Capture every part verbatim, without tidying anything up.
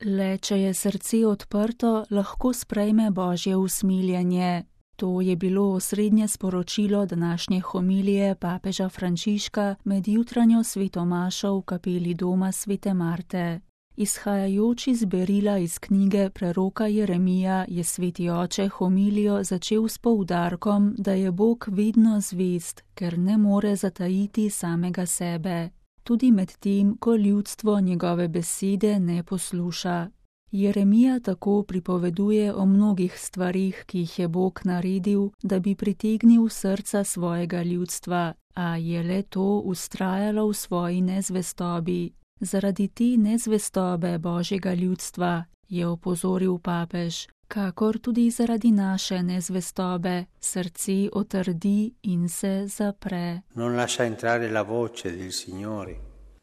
Le če je srce odprto, lahko sprejme Božje usmiljenje. To je bilo osrednje sporočilo današnje homilije papeža Frančiška med jutranjo svetomašo v kapeli doma svete Marte. Izhajajoč iz berila iz knjige preroka Jeremija je sveti oče homilijo začel s poudarkom, da je Bog vedno zvest, ker ne more zatajiti samega sebe, tudi med tem, ko ljudstvo njegove besede ne posluša. Jeremija tako pripoveduje o mnogih stvarih, ki jih je Bog naredil, da bi pritegnil srca svojega ljudstva, a je le to vztrajalo v svoji nezvestobi. Zaradi te nezvestobe Božjega ljudstva, je opozoril papež, kakor tudi zaradi naše nezvestobe, srce otrdi in se zapre. Non lascia entrare la voce del Signore,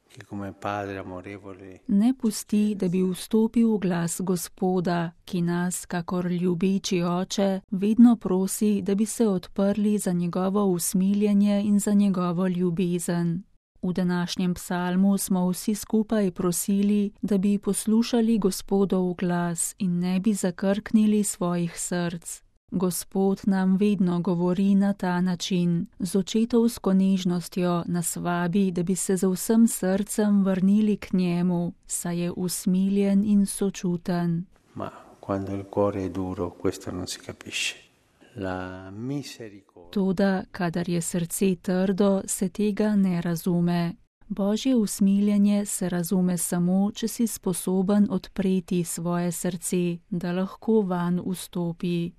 che come padre amorevole. Ne pusti, da bi vstopil glas Gospoda, ki nas, kakor ljubeči oče, vedno prosi, da bi se odprli za njegovo usmiljenje in za njegovo ljubezen. V današnjem psalmu smo vsi skupaj prosili, da bi poslušali Gospodov glas in ne bi zakrknili svojih src. Gospod nam vedno govori na ta način, z očetovsko nežnostjo nas vabi, da bi se z vsem srcem vrnili k njemu, saj je usmiljen in sočuten. Ma quando il cuore è duro, questo non si capisce. Toda, kadar je srce trdo, se tega ne razume. Božje usmiljenje se razume samo, če si sposoben odpreti svoje srce, da lahko vanj vstopi.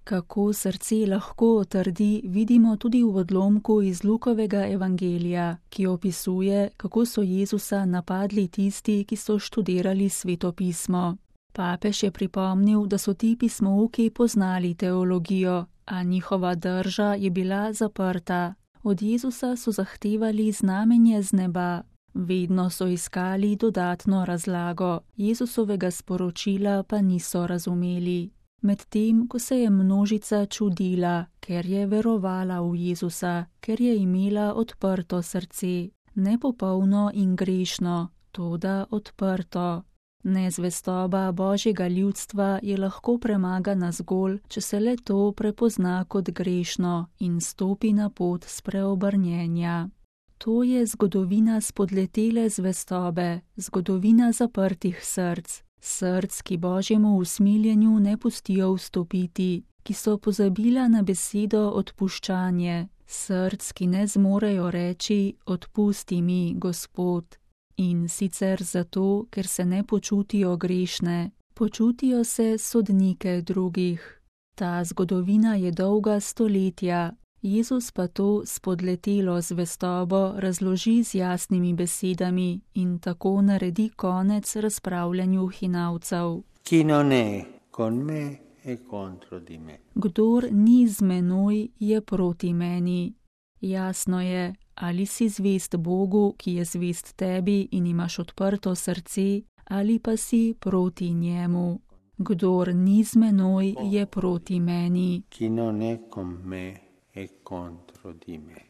Kako srce lahko otrdi, vidimo tudi v odlomku iz Lukovega evangelija, ki opisuje, kako so Jezusa napadli tisti, ki so študirali svetopismo. Papež je pripomnil, da so ti pismouki poznali teologijo, a njihova drža je bila zaprta. Od Jezusa so zahtevali znamenje z neba. Vedno so iskali dodatno razlago, Jezusovega sporočila pa niso razumeli. Medtem, ko se je množica čudila, ker je verovala v Jezusa, ker je imela odprto srce, nepopolno in grešno, toda odprto. Nezvestoba Božjega ljudstva je lahko premagana zgolj, če se le to prepozna kot grešno in stopi na pot spreobrnjenja. To je zgodovina spodletele zvestobe, zgodovina zaprtih src, src, ki Božjemu usmiljenju ne pustijo vstopiti, ki so pozabila na besedo odpuščanje, src, ki ne zmorejo reči: odpusti mi, Gospod. In sicer zato, ker se ne počutijo grešne, počutijo se sodnike drugih. Ta zgodovina je dolga stoletja, Jezus pa to spodletelo zvestobo razloži z jasnimi besedami in tako naredi konec razpravljanju hinavcev. Chi non è con me è contro di me. Kdor ni z menoj, je proti meni. Jasno je, ali si zvest Bogu, ki je zvest tebi in imaš odprto srce, ali pa si proti njemu. Kdor ni z menoj, je proti meni. Chi non è con me è contro di me.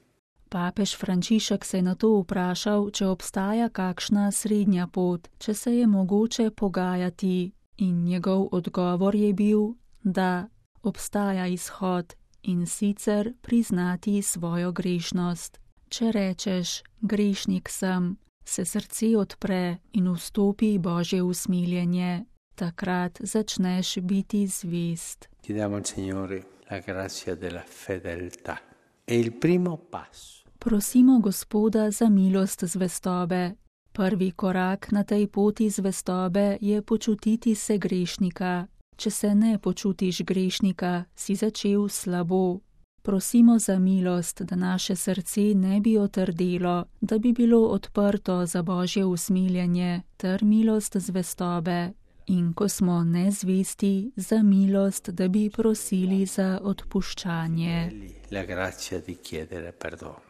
Papež Frančišek se je na to vprašal, če obstaja kakšna srednja pot, če se je mogoče pogajati, in njegov odgovor je bil, da obstaja izhod, in sicer priznati svojo grešnost. Če rečeš, grešnik sem, se srce odpre in vstopi Božje usmiljenje. Takrat začneš biti zvest. Chiediamo al Signore la grazia della fedeltà. È il primo passo. Prosimo Gospoda za milost zvestobe. Prvi korak na tej poti zvestobe je počutiti se grešnika. Če se ne počutiš grešnika, si začel slabo. Prosimo za milost, da naše srce ne bi otrdelo, da bi bilo odprto za Božje usmiljenje ter milost zvestobe. In ko smo nezvesti, za milost, da bi prosili za odpuščanje. La grazia di chiedere perdono.